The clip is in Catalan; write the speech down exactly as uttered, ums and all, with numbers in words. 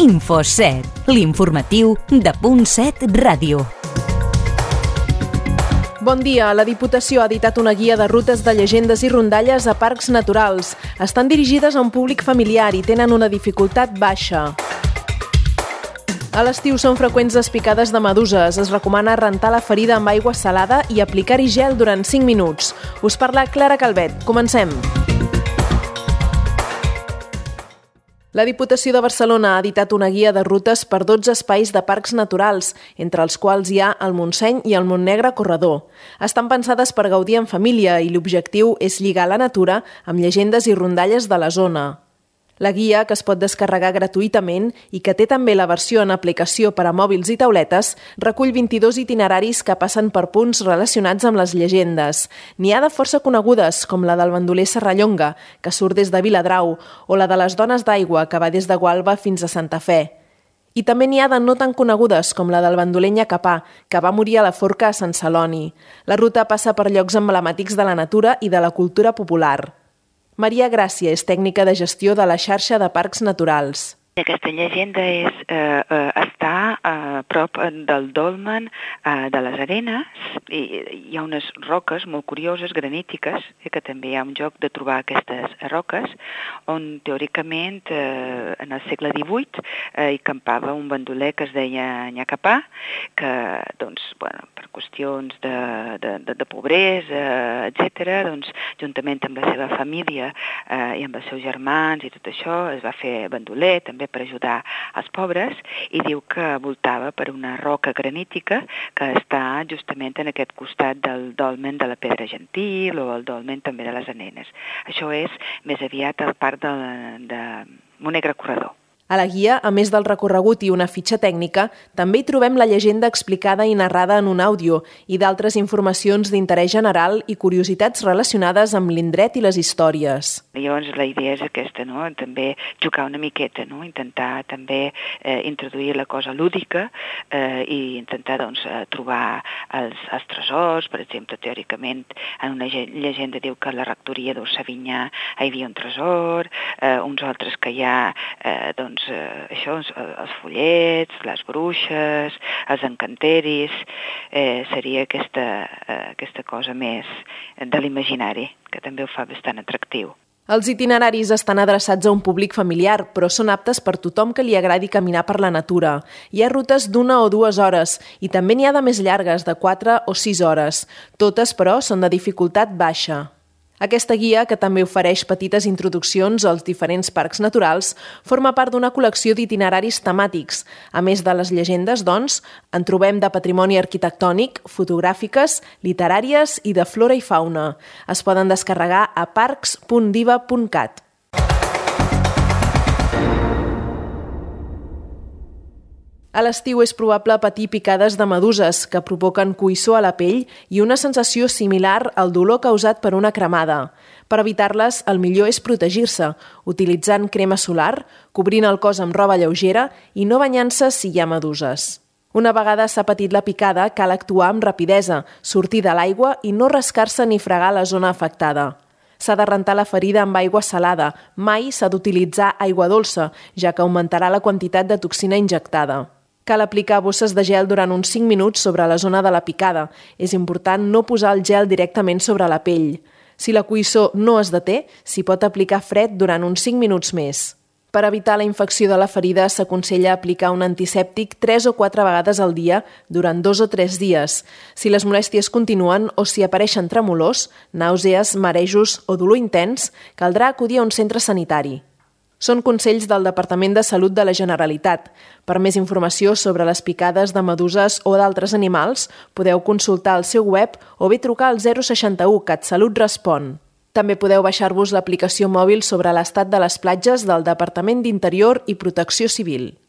InfoSet, l'informatiu de Punt set Ràdio. Bon dia. La Diputació ha editat una guia de rutes de llegendes i rondalles a parcs naturals. Estan dirigides a un públic familiar i tenen una dificultat baixa. A l'estiu són freqüents les picades de meduses. Es recomana rentar la ferida amb aigua salada i aplicar-hi gel durant cinc minuts. Us parla Clara Calvet. Comencem. La Diputació de Barcelona ha editat una guia de rutes per dotze espais de parcs naturals, entre els quals hi ha el Montseny i el Montnegre Corredor. Estan pensades per gaudir en família i l'objectiu és lligar la natura amb llegendes i rondalles de la zona. La guia, que es pot descarregar gratuïtament i que té també la versió en aplicació per a mòbils i tauletes, recull vint-i-dos itineraris que passen per punts relacionats amb les llegendes. N'hi ha de força conegudes, com la del bandoler Serrallonga, que surt des de Viladrau, o la de les Dones d'Aigua, que va des de Gualba fins a Santa Fe. I també n'hi ha de no tan conegudes, com la del bandoler Nyacapà, que va morir a la forca a Sant Celoni. La ruta passa per llocs emblemàtics de la natura i de la cultura popular. Maria Gràcia és tècnica de gestió de la xarxa de parcs naturals. Aquesta llegenda és, eh, eh, està a prop del dolmen eh, de les Arenes i hi ha unes roques molt curioses, granítiques, eh, que també hi ha un joc de trobar aquestes roques, on teòricament eh, en el segle divuit eh, hi campava un bandoler que es deia Nyacapà, que doncs, bueno, per qüestions de, de, de, de pobresa, etcètera, doncs, juntament amb la seva família eh, i amb els seus germans i tot això, es va fer bandoler, també per ajudar els pobres, i diu que voltava per una roca granítica que està justament en aquest costat del dolmen de la Pedra Gentil o el dolmen també de les Arenes. Això és més aviat el parc de, de Montnegre Corredor. A la guia, a més del recorregut i una fitxa tècnica, també hi trobem la llegenda explicada i narrada en un àudio i d'altres informacions d'interès general i curiositats relacionades amb l'indret i les històries. Llavors la idea és aquesta, no? També jugar una miqueta, no? Intentar també eh, introduir la cosa lúdica eh, i intentar doncs, trobar els, els tresors. Per exemple, teòricament, en una llegenda diu que a la rectoria d'Orsavinyà hi havia un tresor, eh, uns altres que hi ha eh, doncs, Doncs, eh, això, els follets, les bruixes, els encanteris, eh, seria aquesta, eh, aquesta cosa més de l'imaginari, que també ho fa bastant atractiu. Els itineraris estan adreçats a un públic familiar, però són aptes per tothom que li agradi caminar per la natura. Hi ha rutes d'una o dues hores i també n'hi ha de més llargues, de quatre o sis hores. Totes, però, són de dificultat baixa. Aquesta guia, que també ofereix petites introduccions als diferents parcs naturals, forma part d'una col·lecció d'itineraris temàtics. A més de les llegendes, doncs, en trobem de patrimoni arquitectònic, fotogràfiques, literàries i de flora i fauna. Es poden descarregar a parcs punt diva punt cat. A l'estiu és probable patir picades de meduses que provoquen coïssor a la pell i una sensació similar al dolor causat per una cremada. Per evitar-les, el millor és protegir-se, utilitzant crema solar, cobrint el cos amb roba lleugera i no banyant-se si hi ha meduses. Una vegada s'ha patit la picada, cal actuar amb rapidesa, sortir de l'aigua i no rascar-se ni fregar la zona afectada. S'ha de rentar la ferida amb aigua salada, mai s'ha d'utilitzar aigua dolça, ja que augmentarà la quantitat de toxina injectada. Cal aplicar bosses de gel durant uns cinc minuts sobre la zona de la picada. És important no posar el gel directament sobre la pell. Si la coïssor no es deté, s'hi pot aplicar fred durant uns cinc minuts més. Per evitar la infecció de la ferida, s'aconsella aplicar un antisèptic tres o quatre vegades al dia durant dos o tres dies. Si les molèsties continuen o si apareixen tremolors, nàusees, marejos o dolor intens, caldrà acudir a un centre sanitari. Són consells del Departament de Salut de la Generalitat. Per més informació sobre les picades de meduses o d'altres animals, podeu consultar el seu web o bé trucar al zero seixanta-u CatSalut Respon. També podeu baixar-vos l'aplicació mòbil sobre l'estat de les platges del Departament d'Interior i Protecció Civil.